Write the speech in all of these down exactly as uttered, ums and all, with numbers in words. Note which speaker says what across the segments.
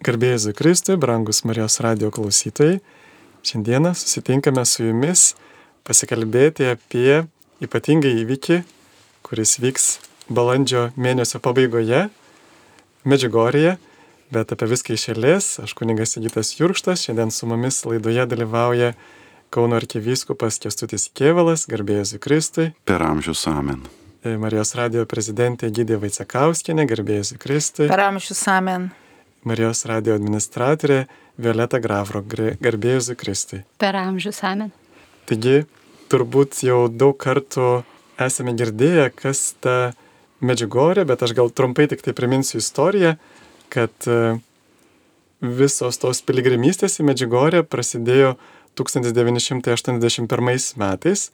Speaker 1: Garbė Jėzui Kristui, brangus Marijos radijo klausytojai. Šiandieną susitinkame su jumis pasikalbėti apie ypatingą įvykį, kuris vyks balandžio mėnesio pabaigoje Medžiugorjėje, bet apie viską iš eilės. Aš kunigas Sigitas Jurkštas, šiandien su mumis laidoje dalyvauja Kauno arkivyskupas Kęstutis Kėvalas. Garbė Jėzui Kristui.
Speaker 2: Per amžius amen.
Speaker 1: Marijos radijo prezidentė Egidija Vaicekauskienė. Garbė Jėzui Kristui.
Speaker 3: Per amžius amen.
Speaker 1: Marijos radijo administratorė Violeta Gravro. Garbė Jėzui Kristui.
Speaker 4: Per amžius amen.
Speaker 1: Taigi, turbūt jau daug kartų esame girdėję, kas ta Medžiugorjė, bet aš gal trumpai tik tai priminsiu istoriją, kad visos tos piligrimystės į Medžiugorję prasidėjo tūkstantis devyni šimtai aštuoniasdešimt pirmais metais,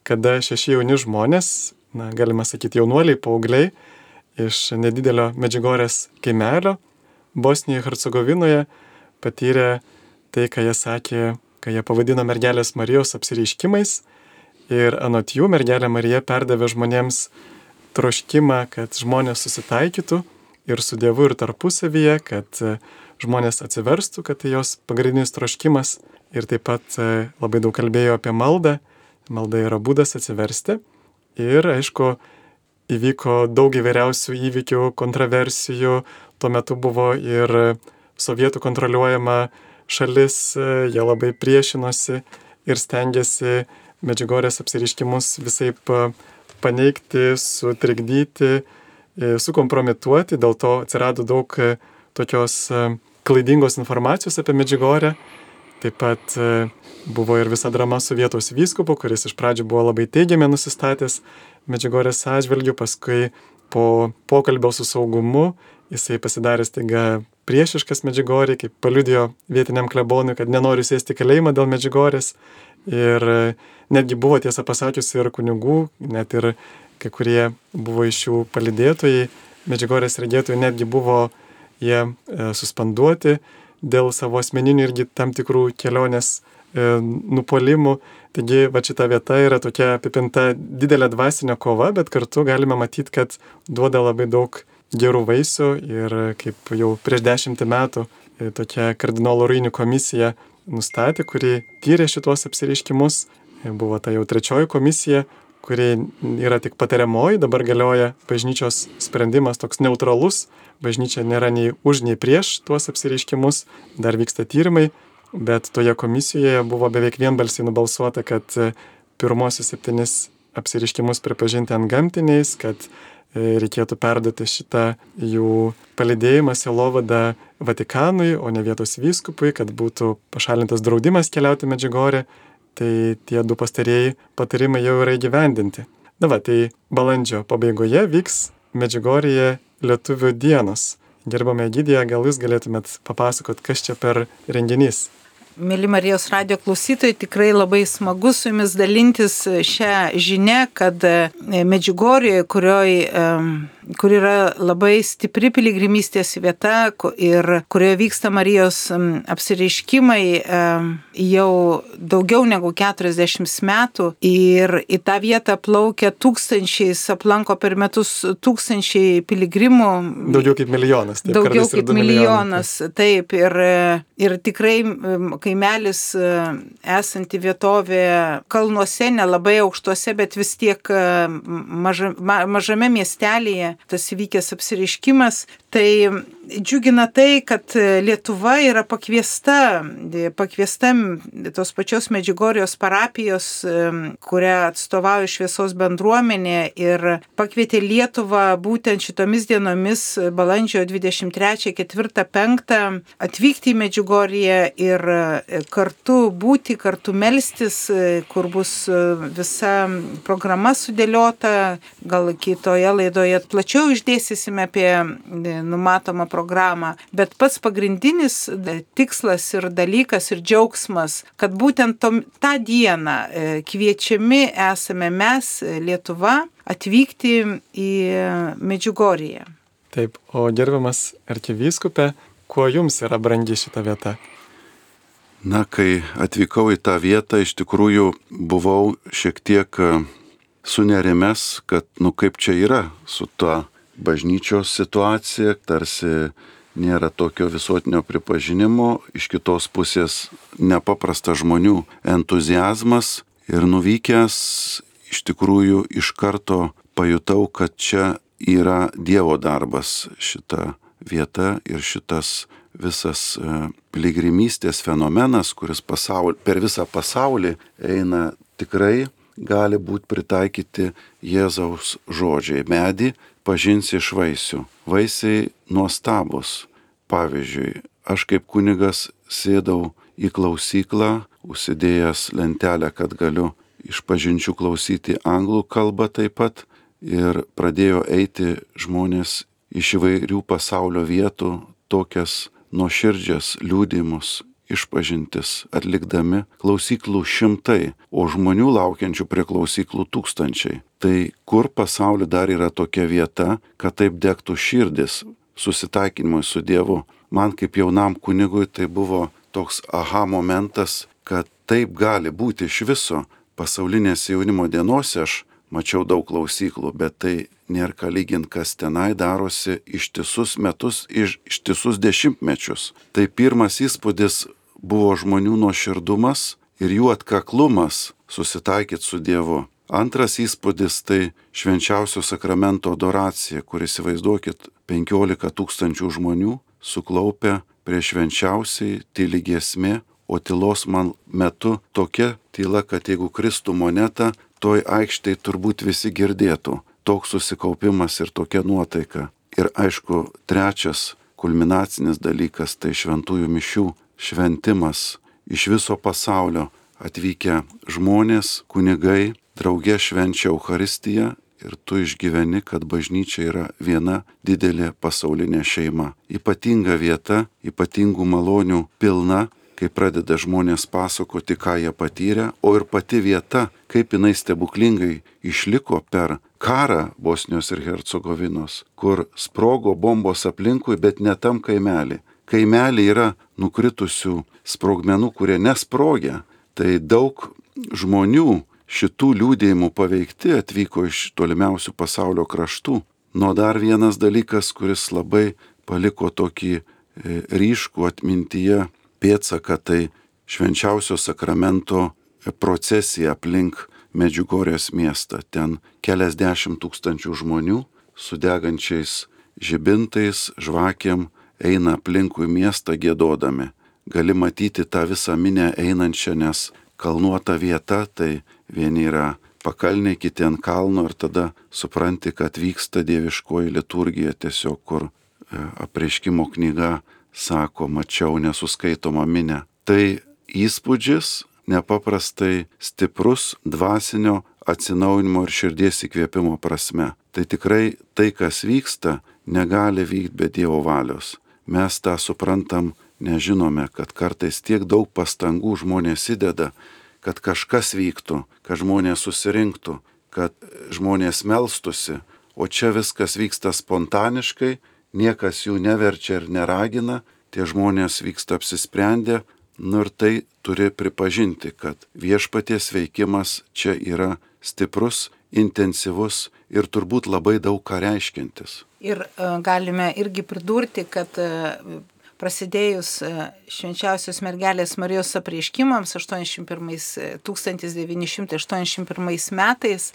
Speaker 1: kada šeši jauni žmonės, na, galima sakyti jaunuoliai, paaugliai, iš nedidelio Medžiugorjės kaimelio Bosnijoje, Hercegovinoje patyrė tai, ką jie sakė, ką jie pavadino mergelės Marijos apsireiškimais. Ir anot jų mergelė Marija perdavė žmonėms troškimą, kad žmonės susitaikytų ir su Dievu, ir tarpusavyje, kad žmonės atsiverstų, kad tai jos pagrindinis troškimas. Ir taip pat labai daug kalbėjo apie maldą. Malda yra būdas atsiversti. Ir aišku, įvyko daug įvairiausių įvykių, kontroversijų. Tuo metu buvo ir sovietų kontroliuojama šalis, jie labai priešinosi ir stengiasi Medžiugorjės apsireiškimus visaip paneigti, sutrikdyti, sukompromituoti. Dėl to atsirado daug tokios klaidingos informacijos apie Medžiugorję. Taip pat buvo ir visa drama su vietos vyskupu, kuris iš pradžių buvo labai teigiamai nusistatęs Medžiugorjės atžvilgiu, paskui po pokalbio su saugumu jisai pasidarė staiga priešiškas Medžiugorjei, kaip paliudijo vietiniam klebonui, kad nenori sėsti kalėjimą dėl Medžiugorjės. Ir netgi buvo, tiesą pasakius, ir kunigų, net ir kai kurie buvo iš jų palydėtojai, Medžiugorjės regėtojai, netgi buvo jie e, suspenduoti dėl savo asmeninių irgi tam tikrų kelionės e, nupolimų. Taigi, va šita vieta yra tokia apipinta didelė dvasinė kova, bet kartu galime matyti, kad duoda labai daug gerų vaisių. Ir kaip jau prieš dešimtį metų e, tokia kardinolo Ruini komisija nustatė, kuri tyrė šitos apsireiškimus. E, buvo ta jau trečioji komisija, kuri yra tik patariamoji, dabar galioja bažnyčios sprendimas toks neutralus. Bažnyčia nėra nei už, nei prieš tuos apsireiškimus, dar vyksta tyrimai, bet toje komisijoje buvo beveik vienbalsiai nubalsuota, kad pirmosius septynis apsireiškimus pripažinti antgamtiniais, kad reikėtų perduoti šitą jų palydėjimą, sielovadą Vatikanui, o ne vietos vyskupui, kad būtų pašalintas draudimas keliauti Medžiugorję. Tai tie du pastarieji patarimai jau yra įgyvendinti. Na va, tai balandžio pabaigoje vyks Medžiugorjėje Lietuvių dienos. Gerbama Egidija, gal jūs galėtumėt papasakot, kas čia per renginys?
Speaker 3: Mėly Marijos radijo klausytojai, tikrai labai smagu su jumis dalintis šią žinią, kad Medžiugorjėje, kurioje kur yra labai stipri piligrimystės vieta ir kurioje vyksta Marijos apsireiškimai jau daugiau negu keturiasdešimt metų, ir į tą vietą plaukia tūkstančiais, aplanko per metus tūkstančiai piligrimų.
Speaker 1: Daugiau kaip milijonas. Taip,
Speaker 3: daugiau kaip milijonas,
Speaker 1: milijonai.
Speaker 3: Taip. Ir, ir tikrai kaimelis esanti vietovė kalnuose, nelabai aukštuose, bet vis tiek maža, ma, mažame miestelėje tas įvykęs apsireiškimas. Tai džiugina tai, kad Lietuva yra pakviesta, pakviesta tos pačios Medžiugorjos parapijos, kurią atstovauja šviesos bendruomenė, ir pakvietė Lietuvą būtent šitomis dienomis, balandžio dvidešimt trečią, ketvirtą, penktą, atvykti į Medžiugorję ir kartu būti, kartu melstis, kur bus visa programa sudėliota. Gal kitoje laidoje plačiau išdėstysime apie numatomą programą, bet pats pagrindinis tikslas ir dalykas ir džiaugsmas, kad būtent tom, tą dieną kviečiami esame mes, Lietuva, atvykti į Medžiugorję.
Speaker 1: Taip, o gerbiamas arkivyskupe, kuo jums yra brangi šita vieta?
Speaker 2: Na, kai atvykau į tą vietą, iš tikrųjų buvau šiek tiek sunerimęs, kad, nu, kaip čia yra su ta bažnyčios situacija, tarsi nėra tokio visuotinio pripažinimo, iš kitos pusės nepaprastas žmonių entuziazmas ir nuvykęs iš tikrųjų iš karto pajutau, kad čia yra Dievo darbas šita vieta ir šitas visas piligrimystės fenomenas, kuris pasaulį, per visą pasaulį eina, tikrai gali būti pritaikyti Jėzaus žodžiai. Medį pažinsi iš vaisių. Vaisiai nuostabus. Pavyzdžiui, aš kaip kunigas sėdau į klausyklą, užsidėjęs lentelę, kad galiu išpažinčių klausyti anglų kalbą taip pat, ir pradėjo eiti žmonės iš įvairių pasaulio vietų, tokias nuoširdžias liudijimus išpažintis atlikdami, klausyklų šimtai, o žmonių laukiančių prie klausyklų tūkstančiai. Tai kur pasaulyje dar yra tokia vieta, kad taip degtų širdis susitaikinimui su Dievu? Man kaip jaunam kunigui tai buvo toks aha momentas, kad taip gali būti iš viso. Pasaulinėse jaunimo dienose aš mačiau daug klausyklų, bet tai nėra ką lyginti, kas tenai darosi ištisus metus, iš, ištisus dešimtmečius. Tai pirmas įspūdis buvo žmonių nuoširdumas ir jų atkaklumas susitaikyti su Dievu. Antras įspūdis tai švenčiausio sakramento adoracija, kur įsivaizduokit penkiolika tūkstančių žmonių suklaupę prie švenčiausiai, tyli giesmė, o tylos man metu tokia tyla, kad jeigu kristų moneta, toj aikštėj turbūt visi girdėtų. Toks susikaupimas ir tokia nuotaika. Ir aišku, trečias kulminacinis dalykas tai šventųjų mišių šventimas. Iš viso pasaulio atvykę žmonės, kunigai, drauge švenčia Eucharistiją ir tu išgyveni, kad bažnyčia yra viena didelė pasaulinė šeima. Ypatinga vieta, ypatingų malonių pilna, kai pradeda žmonės pasakoti, ką jie patyrė, o ir pati vieta, kaip jinai stebuklingai išliko per karą Bosnijos ir Hercegovinos, kur sprogo bombos aplinkui, bet ne tam kaimelį. Kaimelį yra nukritusių sprogmenų, kurie nesprogia. Tai daug žmonių šitų liūdėjimų paveikti atvyko iš tolimiausių pasaulio kraštų. Nuo dar vienas dalykas, kuris labai paliko tokį ryškų atmintyje pėdsaką, tai švenčiausio sakramento procesija aplink Medžiugorės miestą. Ten keliasdešimt tūkstančių žmonių su degančiais žibintais, žvakėm eina aplinkui miestą giedodami. Gali matyti tą visą minę einančią, nes kalnuota vieta, tai vieni yra pakalniai, kiti ant kalno ir tada supranti, kad vyksta dieviškoji liturgija tiesiog, kur apreiškimo knyga sako, mačiau nesuskaitomą minę. Tai įspūdžis nepaprastai stiprus dvasinio atsinaujinimo ir širdies įkvėpimo prasme. Tai tikrai tai, kas vyksta, negali vykti be Dievo valios. Mes tą suprantam, nežinome, kad kartais tiek daug pastangų žmonės įdeda, kad kažkas vyktų, kad žmonės susirinktų, kad žmonės melstusi, o čia viskas vyksta spontaniškai, niekas jų neverčia ir neragina, tie žmonės vyksta apsisprendę, nu ir tai turi pripažinti, kad viešpaties veikimas čia yra stiprus, intensyvus ir turbūt labai daug ką reiškiantis.
Speaker 3: Ir uh, galime irgi pridurti, kad uh, prasidėjus švenčiausios mergelės Marijos apreiškimams tūkstantis devyni šimtai aštuoniasdešimt pirmais metais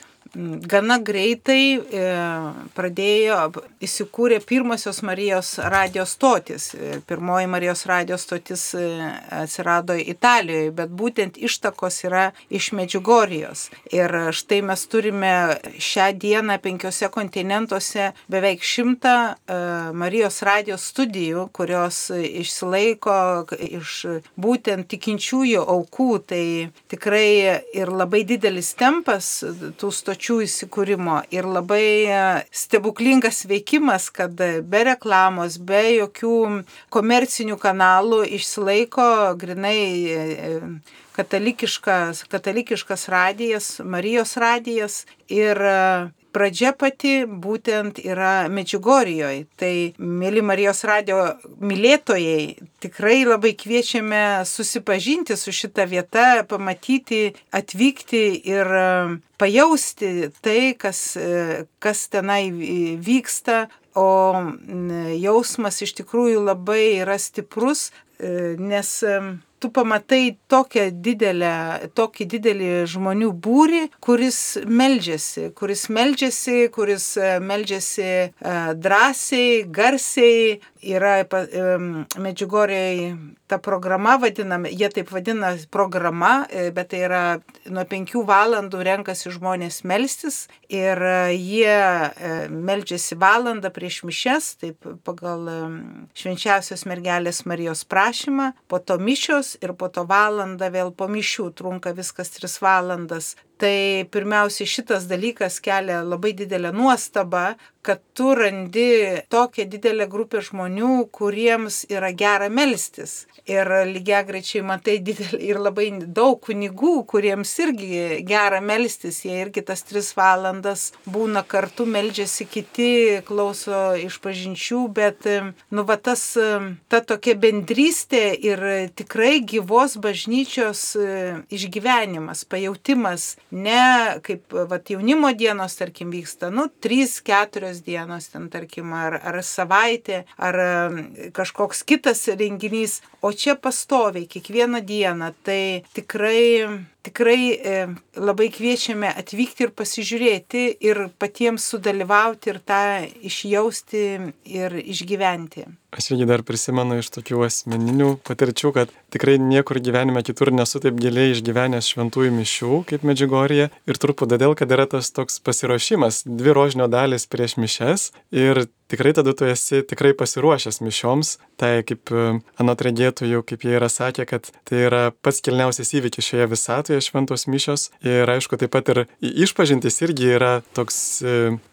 Speaker 3: gana greitai pradėjo įsikūrė pirmosios Marijos radijo stotis. Pirmoji Marijos radijo stotis atsirado Italijoje, bet būtent ištakos yra iš Medžiugorijos. Ir štai mes turime šią dieną penkiose kontinentuose beveik šimtą Marijos radijo studijų, kurios išsilaiko iš būtent tikinčiųjų aukų. Tai tikrai ir labai didelis tempas tų stočių įsikūrimo ir labai stebuklingas veikimas, kad be reklamos, be jokių komercinių kanalų išsilaiko grinai katalikiškas, katalikiškas radijas, Marijos radijas ir pradžia pati būtent yra Medžiugorijoje. Tai, mėly Marijos radijo mylėtojai, tikrai labai kviečiame susipažinti su šita vieta, pamatyti, atvykti ir pajausti tai, kas, kas tenai vyksta, o jausmas iš tikrųjų labai yra stiprus, nes tu pamatai tokią didelę, tokį didelį žmonių būrį, kuris meldžiasi, kuris meldžiasi, kuris meldžiasi drąsiai, garsiai. Yra Medžiugorjėj ta programa vadinama, jie taip vadina programa, bet tai yra nuo penkių valandų renkasi žmonės melstis ir jie meldžiasi valandą prieš mišias, taip pagal Švenčiausios mergelės Marijos prašymą, po to mišios ir po to valandą vėl po mišių, trunka viskas tris valandas. Tai pirmiausia šitas dalykas kelia labai didelę nuostabą, kad tu randi tokią didelę grupę žmonių, kuriems yra gera melstis. Ir lygiagrečiai matai didelį ir labai daug kunigų, kuriems irgi gera melstis, jie irgi tas tris valandas būna kartu, meldžiasi kiti, klauso išpažinčių, bet nu va tas, ta tokia bendrystė ir tikrai gyvos bažnyčios išgyvenimas, pajautimas, ne kaip vat, jaunimo dienos, tarkim, vyksta, nu, trys, keturios dienos, ten, tarkim, ar, ar savaitė, ar kažkoks kitas renginys, o čia pastoviai, kiekvieną dieną, tai tikrai, tikrai e, labai kviečiame atvykti ir pasižiūrėti ir patiems sudalyvauti ir tą išjausti ir išgyventi.
Speaker 1: Aš irgi dar prisimenu iš tokių asmeninių patirčių, kad tikrai niekur gyvenime kitur nesu taip giliai išgyvenęs šventųjų mišių kaip Medžiugorjėje ir turbūt todėl, kad yra tas toks pasiruošimas, dvi rožinio dalis prieš mišias ir tikrai tada tu esi tikrai pasiruošęs mišioms, tai kaip anot regėtojų, kaip jie yra sakę, kad tai yra pats kilniausias įvykis šioje visatoje šventos mišios ir aišku taip pat ir išpažintis irgi yra toks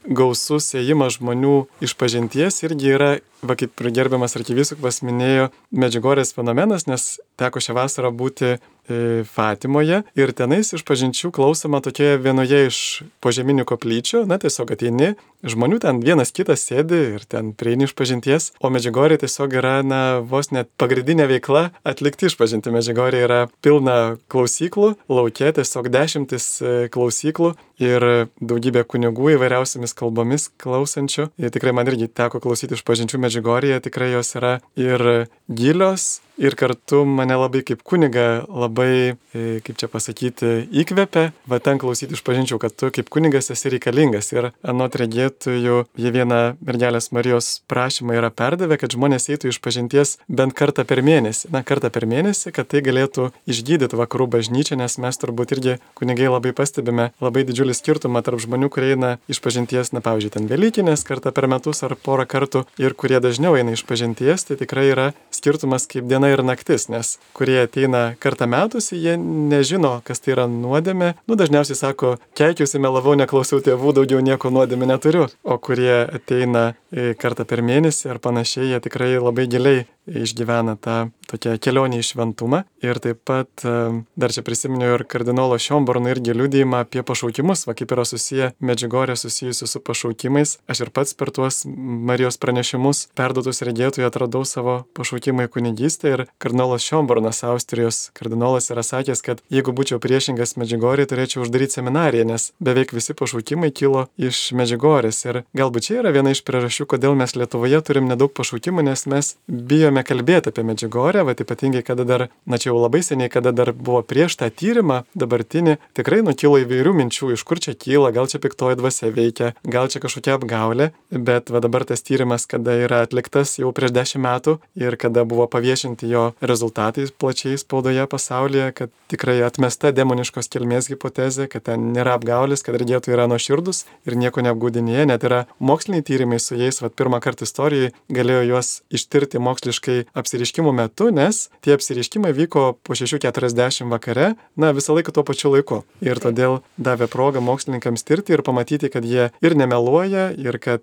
Speaker 1: gausus ėjimas žmonių išpažinties, irgi yra, va kaip gerbiamas arkivyskupas minėjo, Medžiugorjės fenomenas, nes teko šią vasarą būti Fatimoje ir tenais išpažinčių klausoma tokioje vienoje iš požeminių koplyčių, na tiesiog ateini, žmonių ten vienas kitas sėdi ir ten prieini išpažinties, o Medžiugorjė tiesiog yra, na, vos net pagrindinė veikla atlikti išpažinti. Medžiugorjė yra pilna klausyklų, lauke tiesiog dešimtis klausyklų ir daugybė kunigų įvairiausiamis kalbomis klausančių. Ir tikrai man irgi teko klausyti išpažinčių Medžiugorjėje, tikrai jos yra ir gilios, ir kartu mane labai kaip kuniga labai, kaip čia pasakyti, įkvepia, va ten klausyti išpažinčių, kad tu kaip kunigas esi reikalingas. Ir anot regėtojų, jie vieną mergelės Marijos prašymą yra perdavę, kad žmonės eitų išpažinties bent kartą per mėnesį. Na, kartą per mėnesį, kad tai galėtų išgydyti vakarų bažnyčią, nes mes turbūt irgi kunigai labai pastebime labai didžiulį skirtumą tarp žmonių, kurie eina išpažinties, na, pavyzdžiui, ten Velykinės kartą per metus ar porą kartų ir kurie dažniau eina išpažinties, tai tikrai yra skirtumas kaip diena ir naktis, nes kurie ateina kartą metusi, jie nežino, kas tai yra nuodėmė. Nu, dažniausiai sako, keikiausi, melavau, neklausiau tėvų, daugiau nieko nuodėmė neturiu. O kurie ateina kartą per mėnesį ar panašiai, jie tikrai labai giliai išgyvena tą tokią kelionę į šventumą. Ir taip pat dar čia prisiminiau ir kardinolo Šiomborno irgi liudijimą apie pašaukimus, va kaip yra susiję Medžiugorjė susijusi su pašaukimais. Aš ir pats per tuos Marijos pranešimus perduotus regėtojų atradau savo pašaukimą į kunigystę ir kardinolas Šiombornas, Austrijos kardinolas, yra sakęs, kad jeigu būčiau priešingas Medžiugorjei, turėčiau uždaryti seminariją, nes beveik visi pašaukimai kilo iš Medžiugorjės. Ir galbūt čia yra viena iš priežasčių, kodėl mes Lietuvoje turim nedaug pašaukimų, nes mes bijome kalbėti apie Medžiugorję, va ypatingai kada dar, na čia jau labai seniai, kada dar buvo prieš tą tyrimą dabartinį, tikrai nukilo įvairių minčių, iš kur čia kyla, gal čia piktoji dvasia veikia, gal čia kažkokia apgaulė, bet va dabar tas tyrimas, kada yra atliktas jau prieš dešimt metų ir kada buvo paviešinti jo rezultatai plačiai spaudoje pasaulyje, kad tikrai atmesta demoniškos kilmės hipotezė, kad ten nėra apgaulės, kad regėtojai yra nuoširdus ir nieko neapgaudinėja, net yra moksliniai tyrimai su jais, va pirmą kartą istorijoje galėjo juos ištirti moksliškai apsireiškimų metu, nes tie apsireiškimai vyko po šešių keturiasdešimt vakare, na visą laiką tuo pačiu laiku. Ir todėl davė progą mokslininkams tirti ir pamatyti, kad jie ir nemeluoja, ir kad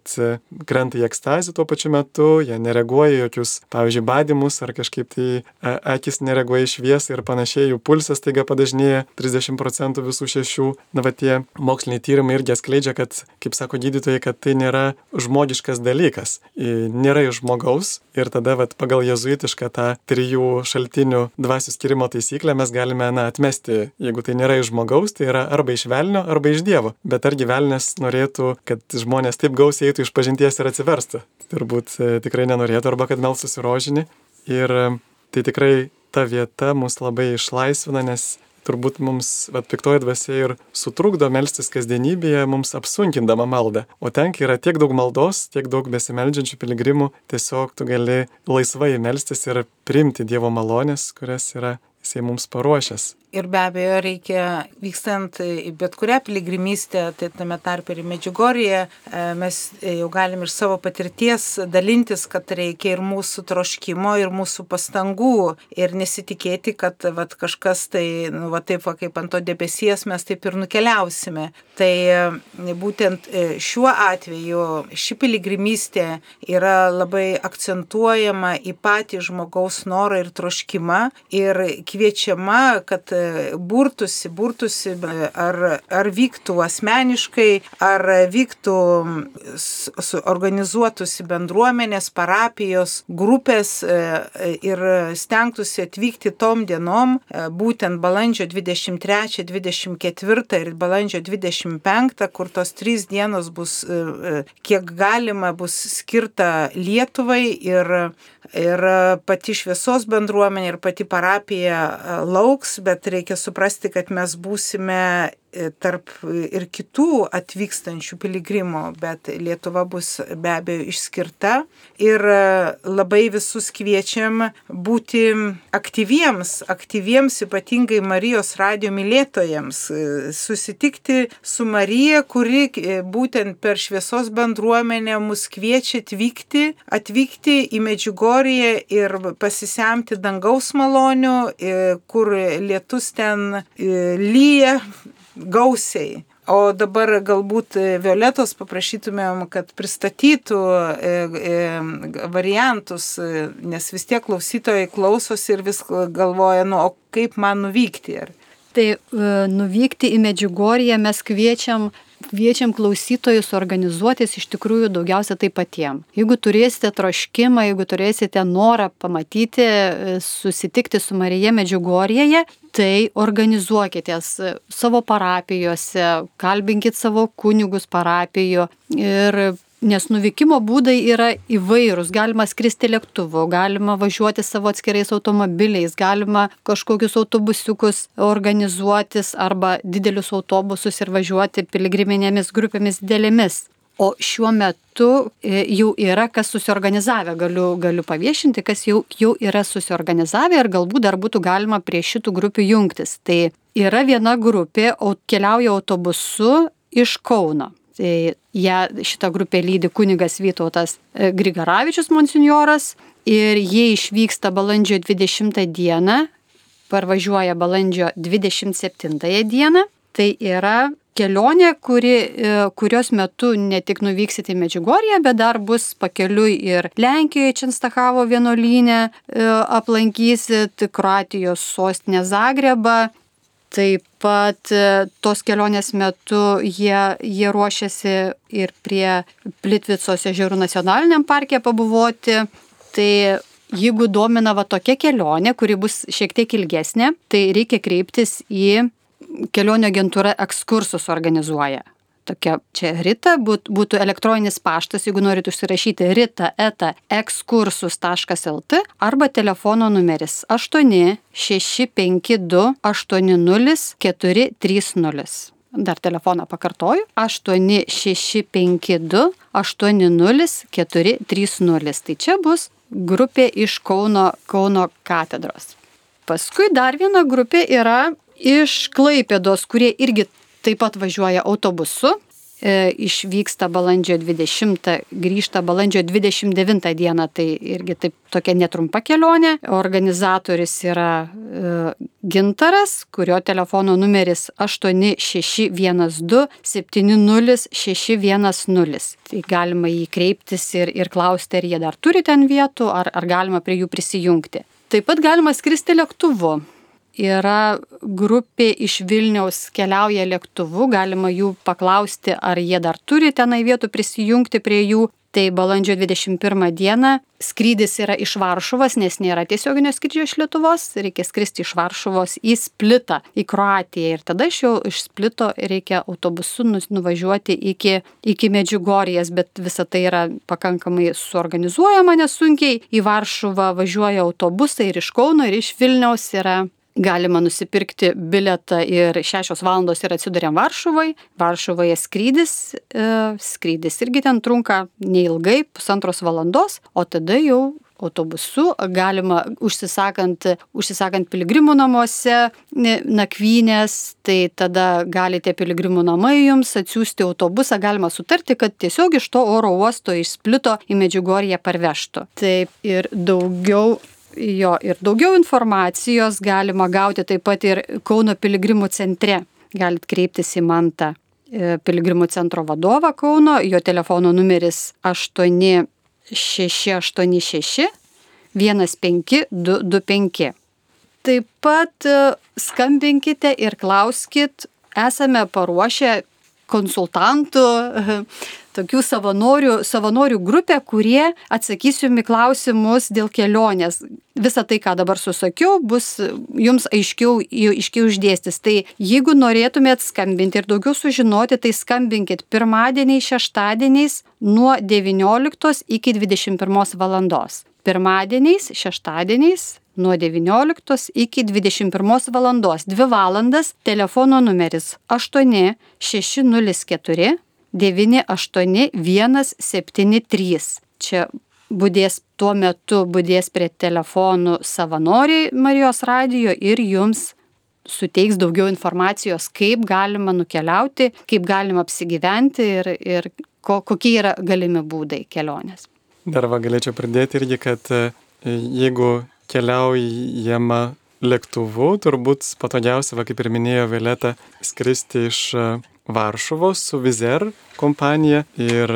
Speaker 1: krenta į ekstazį tuo pačiu metu, jie nereaguoja jokius, pavyzdžiui, badimus ar kažkaip tai akis nereaguoja į šviesą ir panašiai, jų pulsas taiga padažnėja trisdešimt procentų visų šešių. Na va tie moksliniai tyrimai irgi atskleidžia, kad, kaip sako gydytojai, kad tai nėra žmogiškas dalykas, nėra iš žmogaus ir tada vat pagal pagal jezuitišką tą trijų šaltinių dvasių skyrimo taisyklę mes galime, na, atmesti, jeigu tai nėra iš žmogaus, tai yra arba iš velnio, arba iš Dievo. Bet argi velnias norėtų, kad žmonės taip gausiai eitų iš pažinties ir atsiverstų? Turbūt tikrai nenorėtų, arba kad melstųsi rožinį. Ir tai tikrai ta vieta mus labai išlaisvina, nes turbūt mums, vat, piktoji dvasia ir sutrukdo melstis kasdienybėje, mums apsunkindama maldą. O ten, kai yra tiek daug maldos, tiek daug besimeldžiančių piligrimų, tiesiog tu gali laisvai melstis ir priimti Dievo malonės, kurias yra Jisai mums paruošęs.
Speaker 3: Ir be abejo reikia, vykstant į bet kurią piligrimystę, tai tame tarpe ir į Medžiugorję, mes jau galim ir savo patirties dalintis, kad reikia ir mūsų troškimo, ir mūsų pastangų. Ir nesitikėti, kad vat, kažkas tai, nu, va, taip va, kaip ant to debesies mes taip ir nukeliausime. Tai būtent šiuo atveju ši piligrimystė yra labai akcentuojama į patį žmogaus norą ir troškimą ir kviečiama, kad burtusi, burtusi, ar, ar vyktų asmeniškai, ar vyktų organizuotųsi bendruomenės, parapijos, grupės ir stengtųsi atvykti tom dienom, būtent balandžio dvidešimt trečią, dvidešimt ketvirtą ir balandžio dvidešimt penktą, kur tos trys dienos bus, kiek galima, bus skirta Lietuvai ir, ir pati šviesos bendruomenė ir pati parapija lauks, bet reikia suprasti, kad mes būsime tarp ir kitų atvykstančių piligrimų, bet Lietuva bus be abejo išskirta ir labai visus kviečiam būti aktyviems, aktyviems ypatingai Marijos radijo mylėtojams, susitikti su Marija, kuri būtent per šviesos bendruomenę mus kviečia atvykti, atvykti į Medžiugorję ir pasisemti dangaus malonių, kur lietus ten lyja gausiai. O dabar galbūt Violetos paprašytumėm, kad pristatytų variantus, nes vis tiek klausytojai klausosi ir vis galvoja, nu, o kaip man nuvykti?
Speaker 4: Tai nuvykti į Medžiugorję mes kviečiam Kviečiam klausytojus organizuotis iš tikrųjų daugiausia tai patiem. Jeigu turėsite troškimą, jeigu turėsite norą pamatyti, susitikti su Marija Medžiugorjėje, tai organizuokitės savo parapijose, kalbinkit savo kunigus parapijų ir nes nuvykimo būdai yra įvairūs. Galima skristi lėktuvu, galima važiuoti savo atskirais automobiliais, galima kažkokius autobusiukus organizuotis arba didelius autobusus ir važiuoti piligriminėmis grupėmis didelėmis. O šiuo metu jau yra kas susiorganizavę, galiu, galiu paviešinti, kas jau, jau yra susiorganizavę ir galbūt dar būtų galima prie šitų grupių jungtis. Tai yra viena grupė, keliauja autobusu iš Kauno. Tai ja, šitą grupę lydi kunigas Vytautas Grigaravičius monsinjoras ir jie išvyksta balandžio dvidešimtą dieną, parvažiuoja balandžio dvidešimt septintąją dieną. Tai yra kelionė, kuri, kurios metu ne tik nuvyksite į Medžiugorję, bet dar bus pakeliui ir Lenkijoje Čenstachavo vienuolyne aplankysit, Kroatijos sostinę Zagrebą. Taip pat tos kelionės metu jie, jie ruošiasi ir prie Plitvicos ežerų nacionaliniam parke pabuvoti. Tai jeigu domina va tokia kelionė, kuri bus šiek tiek ilgesnė, tai reikia kreiptis į kelionių agentūrą Ekskursus organizuoja. Tokia čia Rita, būtų elektroninis paštas, jeigu norit užsirašyti rita eta ekskursus taškas lt arba telefono numeris aštuoni šeši penki du aštuoni nulis keturi trys nulis. Dar telefoną pakartoju. aštuoni šeši penki du aštuoni nulis keturi trys nulis. Tai čia bus grupė iš Kauno, Kauno katedros. Paskui dar viena grupė yra iš Klaipėdos, kurie irgi taip pat važiuoja autobusu, e, išvyksta balandžio dvidešimtą, grįžta balandžio dvidešimt devintą dieną, tai irgi taip tokia netrumpa kelionė. Organizatorius yra e, Gintaras, kurio telefono numeris aštuoni šeši vienas du septyni nulis šeši vienas nulis. Tai galima jį kreiptis ir, ir klausti, ar jie dar turi ten vietų, ar, ar galima prie jų prisijungti. Taip pat galima skristi lėktuvu. Yra grupė iš Vilniaus keliauja lėktuvu, galima jų paklausti, ar jie dar turi tenai vietų prisijungti prie jų. Tai balandžio dvidešimt pirmą dieną skrydis yra iš Varšuvos, nes nėra tiesioginio skrydžio iš Lietuvos, reikia skristi iš Varšuvos į Splitą, į Kroatiją. Ir tada iš jau iš Splito reikia autobusu nuvažiuoti iki, iki Medžiugorjės, bet visa tai yra pakankamai suorganizuojama nesunkiai. Į Varšuvą važiuoja autobusai ir iš Kauno, ir iš Vilniaus yra. Galima nusipirkti bilietą ir šešios valandos ir atsiduriam Varšuvai. Varšuvoje skrydis, e, skrydis irgi ten trunka neilgai, pusantros valandos, o tada jau autobusu galima užsisakant, užsisakant piligrimų namuose nakvynės, tai tada galite piligrimų namai jums atsiųsti autobusą, galima sutarti, kad tiesiog iš to oro uosto iš Splito į Medžiugorję parvežtų. Taip ir daugiau Jo, ir daugiau informacijos galima gauti taip pat ir Kauno piligrimų centre. Galit kreiptis į Mantą, piligrimų centro vadovą Kauno, jo telefono numeris aštuoni šeši aštuoni šeši vienas penki du du penki. Taip pat skambinkite ir klauskit, esame paruošę konsultantų, tokių savanorių, savanorių grupę, kurie atsakys jums į klausimus dėl kelionės. Visa tai, ką dabar susakiau, bus jums aiškiau, aiškiau išdėstys. Tai jeigu norėtumėt skambinti ir daugiau sužinoti, tai skambinkit pirmadieniais, šeštadieniais nuo devynioliktos iki dvidešimt pirmos valandos. Pirmadieniais, šeštadieniais nuo devynioliktos iki dvidešimt pirmos valandos. Dvi valandas telefono numeris aštuoni šeši nulis keturi devyni aštuoni vienas septyni trys. Čia budės tuo metu budės prie telefonų savanoriai Marijos radijo ir jums suteiks daugiau informacijos, kaip galima nukeliauti, kaip galima apsigyventi ir, ir ko, kokie yra galimi būdai kelionės.
Speaker 1: Dar va galėčiau pridėti irgi, kad jeigu keliaujama lėktuvu, turbūt patogiausia, va, kaip ir minėjo Violeta, skristi iš Varšuvos su Wizz Air kompanija ir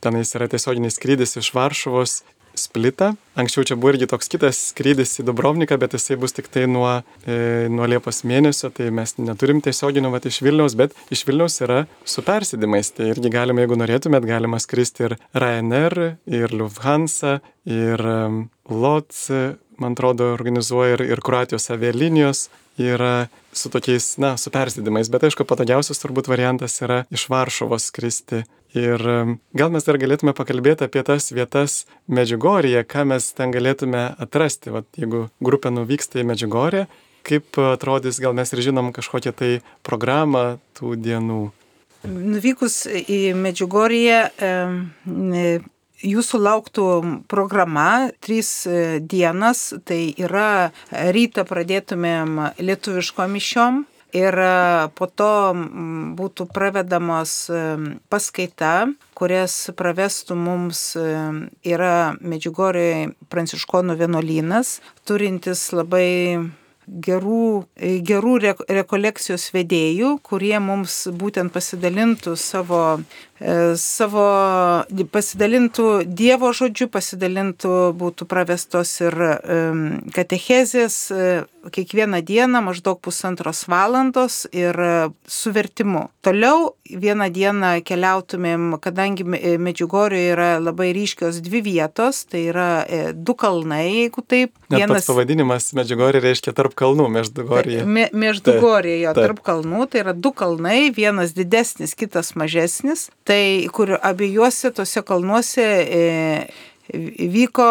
Speaker 1: tenais yra tiesioginis skrydis iš Varšuvos Splitą. Anksčiau čia buvo irgi toks kitas skrydis į Dubrovniką, bet jisai bus tik tai nuo, e, nuo Liepos mėnesio, tai mes neturim tiesioginių vat iš Vilniaus, bet iš Vilniaus yra su persėdimais. Tai irgi galima, jeigu norėtumėt, galima skristi ir Ryanair, ir Lufthansa, ir um, L O T, man atrodo, organizuoja ir, ir Kroatijos avialinijos yra su tokiais, na, su persėdimais, bet aišku, patogiausias turbūt variantas yra iš Varšuvos skristi. Ir gal mes dar galėtume pakalbėti apie tas vietas Medžiugorjėje, ką mes ten galėtume atrasti. Vat, jeigu grupė nuvyksta į Medžiugorję, kaip atrodys, gal mes ir žinom kažkokią tai programą tų dienų.
Speaker 3: Nuvykus į Medžiugorję, e, jūsų lauktų programa trys dienas, tai yra rytą pradėtumėm lietuviškom mišiom. Ir po to būtų pravedamos paskaita, kurias pravestų mums yra Medžiugorjėje Pranciškonų vienuolynas, turintis labai gerų, gerų rekolekcijos vedėjų, kurie mums būtent pasidalintų savo, savo pasidalintų Dievo žodžiu, pasidalintų, būtų pravestos ir katechezės kiekvieną dieną maždaug pusantros valandos ir su vertimu. Toliau vieną dieną keliautumėm, kadangi Medžiugorjėje yra labai ryškios dvi vietos, tai yra du kalnai, jeigu taip.
Speaker 1: Net vienas... pats pavadinimas Medžiugorjė reiškia tarp kalnų, Meždugorjė.
Speaker 3: Me, Meždugorjė, jo, tarp kalnų, tai yra du kalnai, vienas didesnis, kitas mažesnis, tai kur abiejuose tose kalnuose e, vyko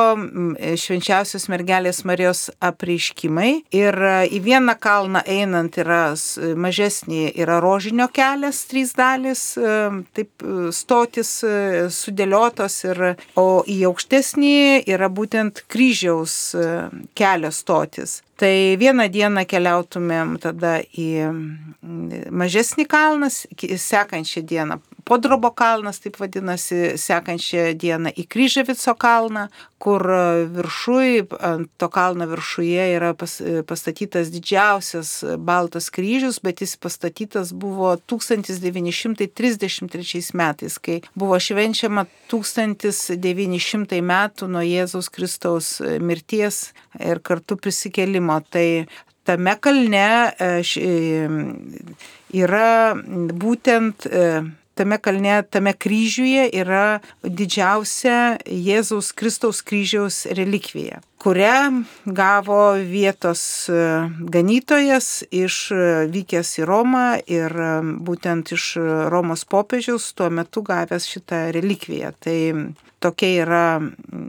Speaker 3: švenčiausios mergelės Marijos apreiškimai ir į vieną kalną einant yra mažesnį, yra rožinio kelias, trys dalys, taip stotis sudėliotos, ir, o į aukštesnį yra būtent kryžiaus kelio stotis. Tai vieną dieną keliautumėm tada į mažesnį kalną, sekančią dieną Podrobo kalnas, taip vadinasi, sekančią dieną į Kryževico kalną, kur viršui, ant to kalno viršuje yra pas, pastatytas didžiausias baltas kryžius, bet jis pastatytas buvo tūkstantis devyni šimtai trisdešimt trečiais metais, kai buvo švenčiama tūkstantis devyni šimtai metų nuo Jėzaus Kristaus mirties ir kartu prisikėlimo. Tai tame kalne yra būtent tame kalne, tame kryžiuje yra didžiausia Jėzaus Kristaus kryžiaus relikvija, kurią gavo vietos ganytojas išvykęs į Romą ir būtent iš Romos popiežiaus tuo metu gavęs šitą relikviją. Tai tokia yra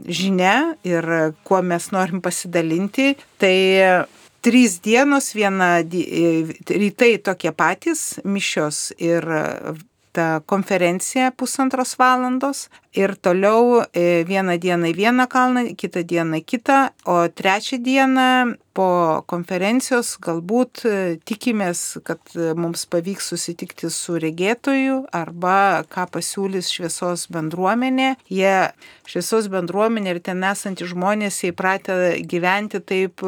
Speaker 3: žinia ir kuo mes norim pasidalinti. Tai trys dienos, viena rytai tokie patys, mišios ir ta konferencija pusantros valandos ir toliau vieną dieną į vieną kalną, kitą dieną į kitą, o trečią dieną po konferencijos galbūt tikimės, kad mums pavyks susitikti su regėtoju arba ką pasiūlys šviesos bendruomenė. Jie, šviesos bendruomenė ir ten esantys žmonės įpratę gyventi taip,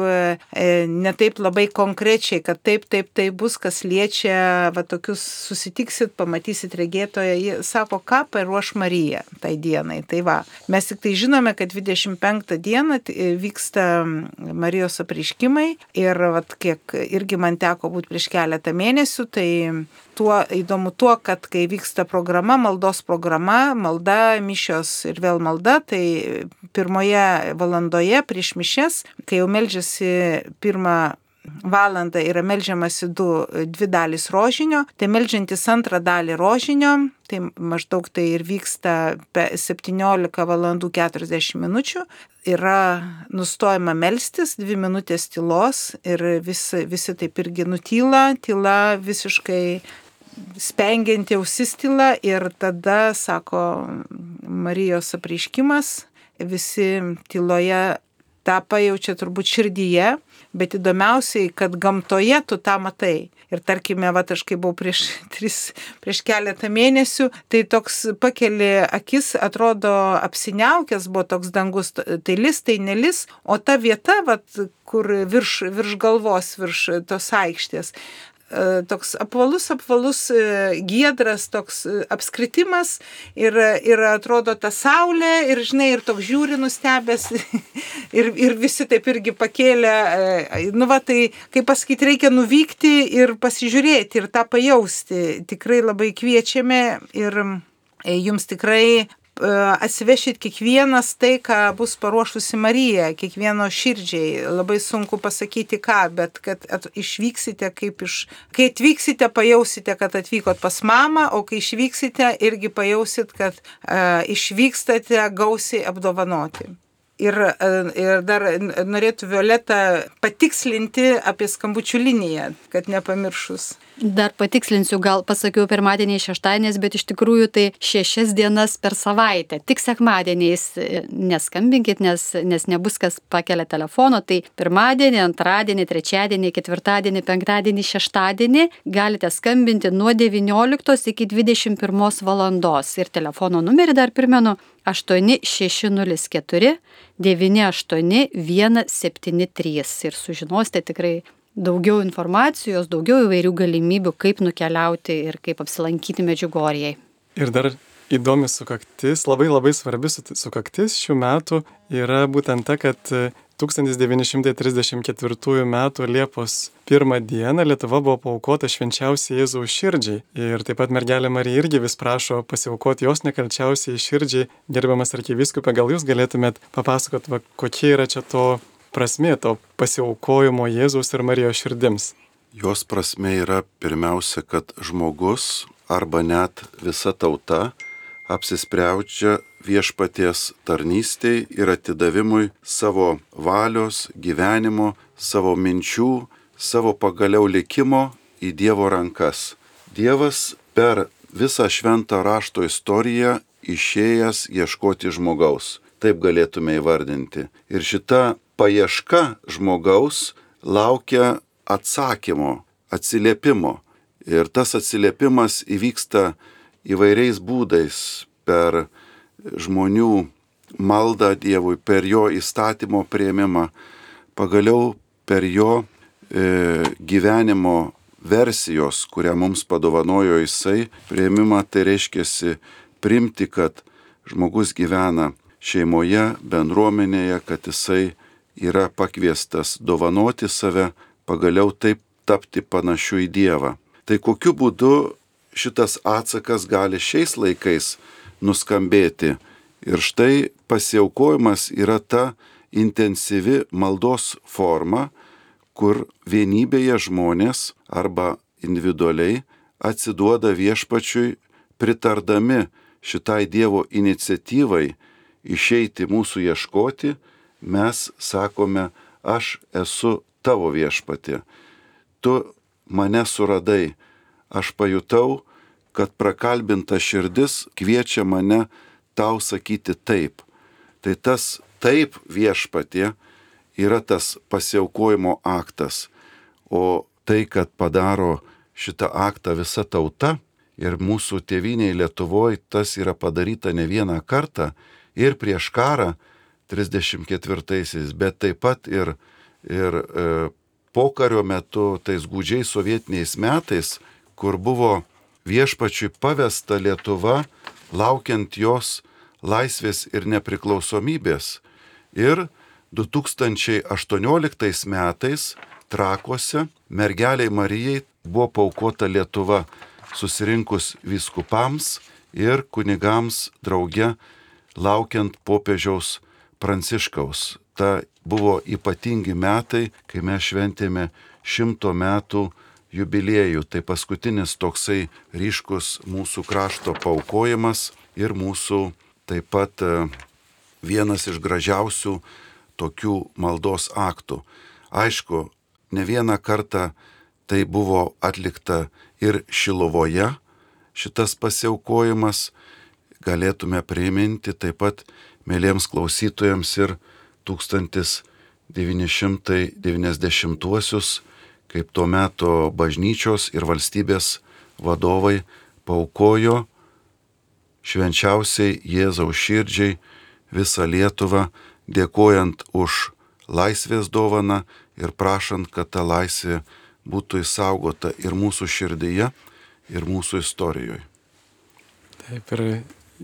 Speaker 3: ne taip labai konkrečiai, kad taip, taip, taip bus, kas liečia, va tokius susitiksit, pamatysit regėtoją. Jie sako, ką paruoš Marija tai dienai. Tai va, mes tik tai žinome, kad dvidešimt penktą dieną vyksta Marijos apreiškimai ir vat, kiek irgi man teko būti prieš keletą mėnesių, tai tuo įdomu tuo, kad kai vyksta programa, maldos programa, malda, mišios ir vėl malda, tai pirmoje valandoje prieš mišias, kai jau meldžiasi pirmą valandą yra meldžiamasi du, dvi dalys rožinio, tai meldžiantis antrą dalį rožinio, tai maždaug tai ir vyksta septyniolika valandų keturiasdešimt minučių, yra nustojama melstis, dvi minutės tylos ir visi, visi taip irgi nutyla, tyla visiškai spengianti ausis tyla ir tada, sako Marijos apreiškimas, visi tyloje tą pajaučia turbūt širdyje, bet įdomiausiai, kad gamtoje tu tą matai. Ir tarkime, va, aš kai buvau prieš, tris, prieš keletą mėnesių, tai toks pakeli akis, atrodo apsiniaukęs buvo toks dangus, tai lis, tai nelis, o ta vieta, va, kur virš, virš galvos, virš tos aikštės, toks apvalus, apvalus giedras, toks apskritimas ir, ir atrodo ta saulė ir, žinai, ir toks žiūri nustebęs ir, ir visi taip irgi pakėlė, nu va, tai, kaip pasakyti, reikia nuvykti ir pasižiūrėti ir tą pajausti. Tikrai labai kviečiame ir jums tikrai atsivešit kiekvienas tai, ką bus paruošusi Marija, kiekvieno širdžiai. Labai sunku pasakyti ką, bet kad at, išvyksite kaip iš... Kai atvyksite, pajausite, kad atvykot pas mamą, o kai išvyksite, irgi pajausit, kad uh, išvykstate gausiai apdovanoti. Ir, ir dar norėtų Violeta patikslinti apie skambučių liniją, kad nepamiršus.
Speaker 4: Dar patikslinsiu, gal pasakiau pirmadieniais, šeštadieniais, bet iš tikrųjų tai šešias dienas per savaitę. Tik sekmadieniais neskambinkit, nes, nes nebus kas pakelia telefono. Tai pirmadienį, antradienį, trečiadienį, ketvirtadienį, penktadienį, šeštadienį galite skambinti nuo devynioliktos iki dvidešimt pirmos valandos. Ir telefono numerį dar primenu aštuoni šeši nulis keturi devyni aštuoni vienas septyni trys ir sužinosite tikrai daugiau informacijos, daugiau įvairių galimybių, kaip nukeliauti ir kaip apsilankyti Medžiugorjei.
Speaker 1: Ir dar įdomi sukaktis, labai labai svarbi sukaktis šių metų yra būtent ta, kad tūkstantis devyni šimtai trisdešimt ketvirtųjų metų Liepos pirmą dieną Lietuva buvo paaukota švenčiausiai Jėzaus širdžiai. Ir taip pat mergelė Marija irgi vis prašo pasiaukoti jos nekalčiausiai širdžiai. Gerbiamas arkivyskupė, gal jūs galėtumėt papasakot, va, kokie yra čia to prasmė, to pasiaukojimo Jėzaus ir Marijos širdims?
Speaker 2: Jos prasmė yra pirmiausia, kad žmogus arba net visa tauta apsisprendžia viešpaties tarnystei ir atidavimui savo valios, gyvenimo, savo minčių, savo pagaliau likimo į Dievo rankas. Dievas per visą šventą rašto istoriją išėjęs ieškoti žmogaus. Taip galėtume įvardinti. Ir šita paieška žmogaus laukia atsakymo, atsiliepimo. Ir tas atsiliepimas įvyksta įvairiais būdais per žmonių maldą Dievui, per jo įstatymo priėmimą, pagaliau per jo e, gyvenimo versijos, kurią mums padovanojo Jisai, priėmimą. Tai reiškiasi priimti, kad žmogus gyvena šeimoje, bendruomenėje, kad Jisai yra pakviestas dovanoti save, pagaliau taip tapti panašiu į Dievą. Tai kokiu būdu šitas atsakas gali šiais laikais nuskambėti. Ir štai pasiaukojimas yra ta intensyvi maldos forma, kur vienybėje žmonės arba individualiai atsiduoda viešpačiui, pritardami šitai Dievo iniciatyvai išeiti mūsų ieškoti, mes sakome, aš esu tavo viešpatie. Tu mane suradai, aš pajutau, kad prakalbinta širdis kviečia mane tau sakyti taip. Tai tas taip viešpatie yra tas pasiaukojimo aktas, o tai, kad padaro šitą aktą visa tauta ir mūsų tėvynėje Lietuvoje, tas yra padaryta ne vieną kartą ir prieš karą trisdešimt ketvirtaisiais, bet taip pat ir, ir e, pokario metu, tais gūdžiais sovietiniais metais, kur buvo viešpačiui pavesta Lietuva, laukiant jos laisvės ir nepriklausomybės. Ir du tūkstančiai aštuonioliktais metais Trakuose mergeliai Marijai buvo paaukota Lietuva, susirinkus vyskupams ir kunigams drauge, laukiant popiežiaus Pranciškaus. Ta buvo ypatingi metai, kai mes šventėme šimto metų jubiliejų. Tai paskutinis toksai ryškus mūsų krašto paaukojimas ir mūsų taip pat vienas iš gražiausių tokių maldos aktų. Aišku, ne vieną kartą tai buvo atlikta ir Šilovoje, šitas pasiaukojimas, galėtume priminti taip pat mėliems klausytojams ir tūkstantis devyni šimtai devyniasdešimtuosius, kaip tuo metu bažnyčios ir valstybės vadovai paaukojo švenčiausiai Jėzaus širdžiai visą Lietuvą, dėkojant už laisvės dovaną ir prašant, kad ta laisvė būtų išsaugota ir mūsų širdyje, ir mūsų istorijoje.
Speaker 1: Taip, ir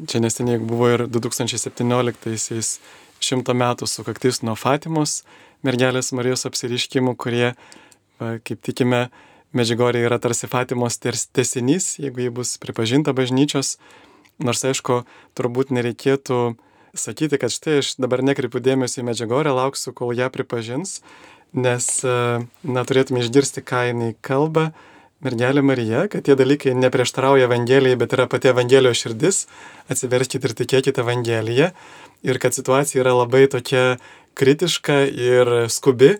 Speaker 1: čia neseniai buvo ir du tūkstančiai septynioliktaisiais šimto metų sukaktis nuo Fatimos mergelės Marijos apsireiškimų, kurie, kaip tikime, Medžiugorjė yra tarsi Fatimos tęsinys, jeigu ji bus pripažinta bažnyčios. Nors, aišku, turbūt nereikėtų sakyti, kad štai aš dabar nekreipiu dėmesio į Medžiugorję, lauksiu, kol ją pripažins, nes, na, turėtume išgirsti, ką jinai kalba, mergelė Marija, kad tie dalykai neprieštarauja Evangelijai, bet yra pati Evangelijos širdis, atsiverskite ir tikėkite Evangeliją, ir kad situacija yra labai tokia kritiška ir skubi,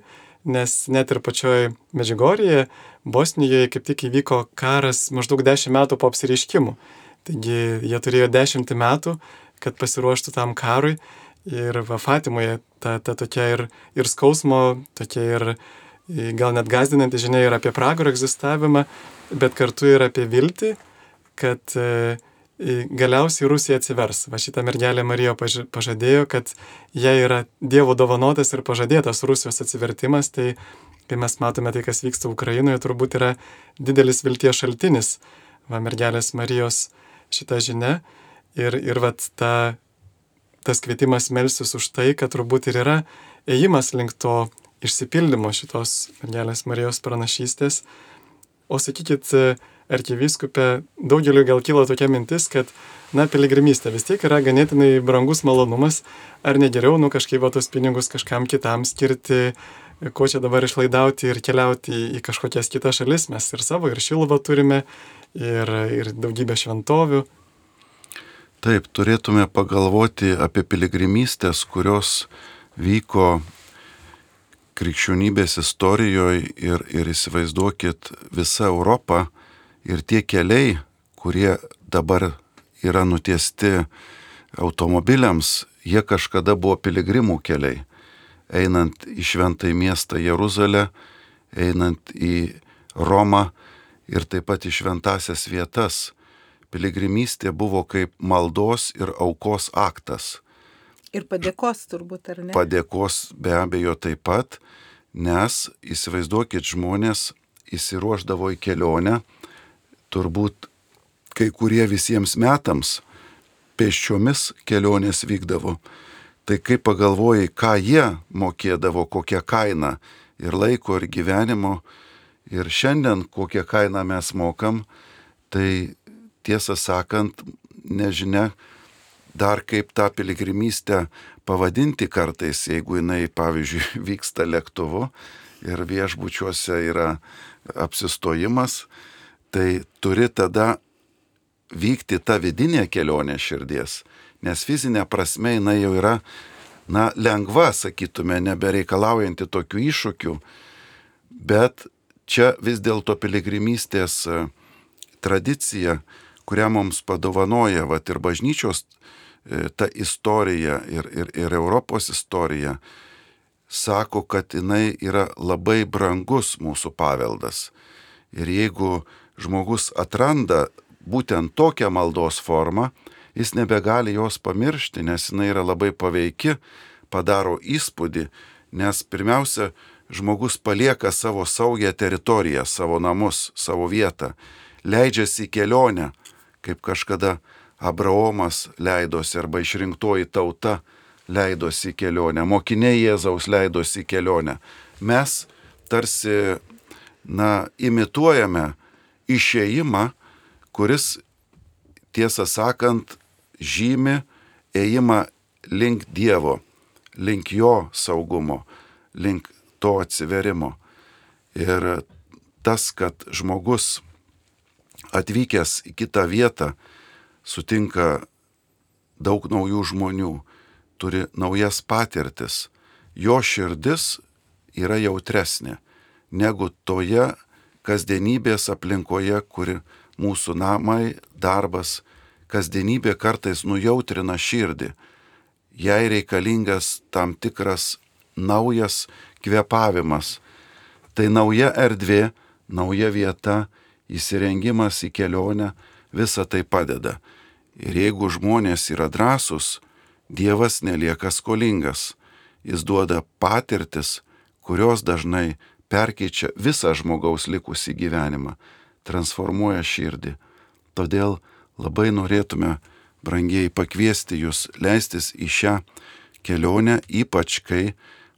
Speaker 1: nes net ir pačioj Medžiugorjėje, Bosnijoje kaip tik įvyko karas maždaug dešimt metų po apsireiškimų. Taigi jie turėjo dešimtį metų, kad pasiruoštų tam karui, ir va Fatimoje ta, ta tokia ir, ir skausmo, tokia ir gal net gąsdinanti žinia ir apie pragaro egzistavimą, bet kartu ir apie viltį, kad e, galiausiai Rusija atsivers. Va šitą mergelę Marija pažadėjo, kad jai yra Dievo dovanotas ir pažadėtas Rusijos atsivertimas, tai kai mes matome tai, kas vyksta Ukrainoje, turbūt yra didelis vilties šaltinis, va mergelės Marijos šita žinia. Ir, ir vat ta, tas kvietimas melstis už tai, kad turbūt ir yra ėjimas link to išsipildymo šitos mergelės Marijos pranašystės. O sakykit, arkivyskupė, daugeliu gal kilo tokia mintis, kad, na, piligrimystė vis tiek yra ganėtinai brangus malonumas, ar ne geriau, nu, kažkaip va tos pinigus kažkam kitam skirti, ko čia dabar išlaidauti ir keliauti į, į kažkokias kitas šalis, mes ir savo, ir Šiluvą turime, ir, ir daugybę šventovių.
Speaker 2: Taip, turėtume pagalvoti apie piligrimystės, kurios vyko krikščionybės istorijoje ir, ir įsivaizduokit visą Europą ir tie keliai, kurie dabar yra nutiesti automobiliams, jie kažkada buvo piligrimų keliai. Einant į šventąjį miestą Jeruzalę, einant į Romą ir taip pat į šventąsias vietas. Piligrimystė buvo kaip maldos ir aukos aktas.
Speaker 3: Ir padėkos turbūt, ar ne?
Speaker 2: Padėkos be abejo taip pat, nes įsivaizduokit, žmonės įsiruošdavo į kelionę, turbūt kai kurie visiems metams pėsčiomis kelionės vykdavo. Tai kai pagalvojai, ką jie mokėdavo, kokią kainą ir laiko, ir gyvenimo, ir šiandien kokią kainą mes mokam, tai tiesą sakant, nežinia dar kaip tą piligrimystę pavadinti kartais, jeigu jinai, pavyzdžiui, vyksta lėktuvu ir viešbučiuose yra apsistojimas, tai turi tada vykti ta vidinė kelionė širdies, nes fizinė prasme jinai jau yra, na, lengva, sakytume, nebereikalaujanti tokių iššūkių, bet čia vis dėlto piligrimystės tradicija, kurią mums padovanoja, vat ir bažnyčios ta istorija ir, ir, ir Europos istorija, sako, kad jinai yra labai brangus mūsų paveldas. Ir jeigu žmogus atranda būtent tokią maldos formą, jis nebegali jos pamiršti, nes jinai yra labai paveiki, padaro įspūdį, nes pirmiausia, žmogus palieka savo saugią teritoriją, savo namus, savo vietą, leidžiasi į kelionę, kaip kažkada Abraomas leidosi arba išrinktoji tauta leidosi į kelionę, mokiniai Jėzaus leidosi į kelionę. Mes tarsi, na, imituojame išėjimą, kuris, tiesą sakant, žymi ėjimą link Dievo, link jo saugumo, link to atsiverimo. Ir tas, kad žmogus atvykęs į kitą vietą sutinka daug naujų žmonių, turi naujas patirtis, jo širdis yra jautresnė negu toje kasdienybės aplinkoje, kuri mūsų namai, darbas, kasdienybė kartais nujautrina širdį. Jai reikalingas tam tikras naujas kvėpavimas. Tai nauja erdvė, nauja vieta, įsirengimas į kelionę, visa tai padeda. Ir jeigu žmonės yra drąsūs, Dievas nelieka skolingas. Jis duoda patirtis, kurios dažnai perkeičia visą žmogaus likusį gyvenimą, transformuoja širdį. Todėl labai norėtume, brangieji, pakviesti jūs leistis į šią kelionę, ypač kai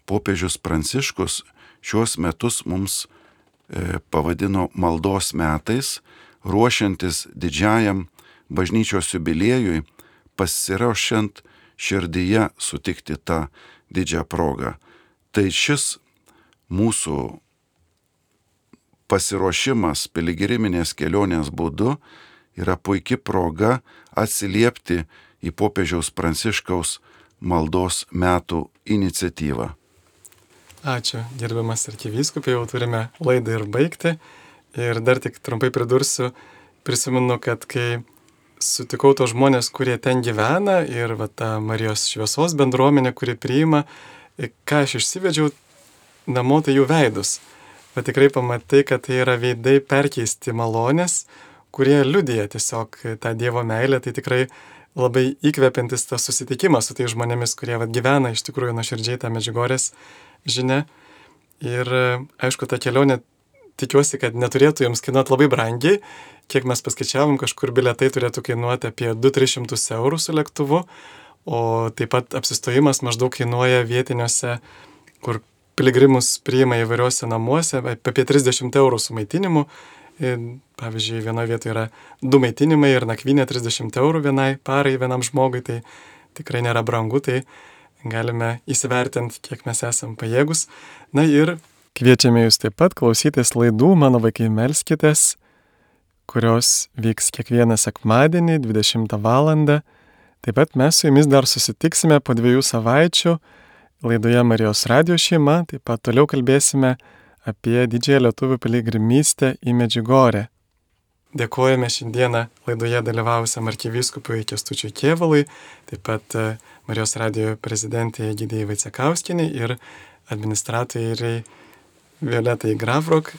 Speaker 2: popiežius Pranciškus šiuos metus mums e, pavadino maldos metais, ruošiantis didžiajam bažnyčios jubiliejui, pasiruošiant širdyje sutikti tą didžią progą. Tai šis mūsų pasiruošimas piligriminės kelionės būdu yra puikia proga atsiliepti į popiežiaus Pranciškaus maldos metų iniciatyvą.
Speaker 1: Ačiū, gerbiamas arkivyskupai, jau turime laidą ir baigti. Ir dar tik trumpai pridursiu, prisimenu, kad kai sutikau tos žmonės, kurie ten gyvena ir va, ta Marijos šviesos bendruomenė, kuri priima, ką aš išsivedžiau namo, tai jų veidus. Bet tikrai pamatai, kad tai yra veidai perkeisti malonės, kurie liudija tiesiog tą Dievo meilę, tai tikrai labai įkvepiantis tas susitikimas su tais žmonėmis, kurie va, gyvena iš tikrųjų nuoširdžiai tą Medžiugorės žinią. Ir aišku, ta kelionė, tikiuosi, kad neturėtų jums kainuoti labai brangiai. Kiek mes paskaičiavom, kažkur bilietai turėtų kainuoti apie du tris šimtus eurų su lėktuvu, o taip pat apsistojimas maždaug kainuoja vietiniuose, kur piligrimus priima įvairiuose namuose, apie trisdešimt eurų su maitinimu. Ir, pavyzdžiui, vienoje vietoje yra du maitinimai ir nakvynė trisdešimt eurų vienai parai, vienam žmogui, tai tikrai nėra brangu, tai galime įsivertinti, kiek mes esam pajėgus. Na ir kviečiame jūs taip pat klausytis laidų Mano vaikai melskitės, kurios vyks kiekvieną sekmadienį dvidešimtą valandą. Taip pat mes su jumis dar susitiksime po dviejų savaičių laidoje Marijos radijo šeima. Taip pat toliau kalbėsime apie didžiąją lietuvių piligrimystę į Medžiugorę. Dėkojame šiandieną laidoje dalyvavusiam arkivyskupui Kęstučiui Kėvalui, taip pat Marijos radijo prezidentė Egidijai Vaicekauskienei ir administratoriai Violetai Gravrok.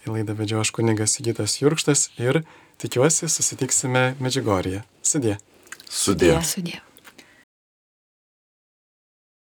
Speaker 1: Į laidą vedžiau aš kunigas Sigitas Jurkštas ir tikiuosi susitiksime Medžiugorėje. Sudie.
Speaker 2: Sudie.
Speaker 4: Sudie.